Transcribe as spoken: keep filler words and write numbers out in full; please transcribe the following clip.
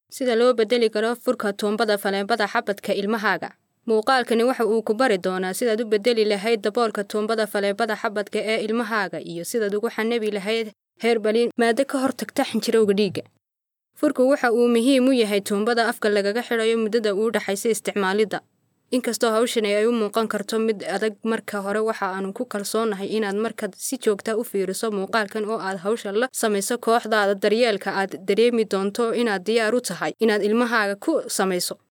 Sida loo bedeli karo furka tuumbada faleebada xabadka ilmahaaga. Muuqaalkani waxa uu ku bari doonaa sidaad u bedeli lahayd daboolka tuumbada faleebada xabadka ee ilmahaaga iyo sidaad ugu xanabi lahayd herbaliin maado ka hortagta xinjirowga dhiigga. Furku waxa uu muhiim u yahay tuumbada afka lagaga xidhayo muddada u dhaxaysa isticmaalidda. Inkastoo hawshani ay u muuqan karto mid adag marka hore, waxa aanu ku kalsoonahay inaad markaad si joogta u fiiriso muuqaalkan oo aad hawsha la samayso kooxdaada daryeelka, aad dareemi doonto inaad diyaar u tahay inaad ilmahaaga ku samayso.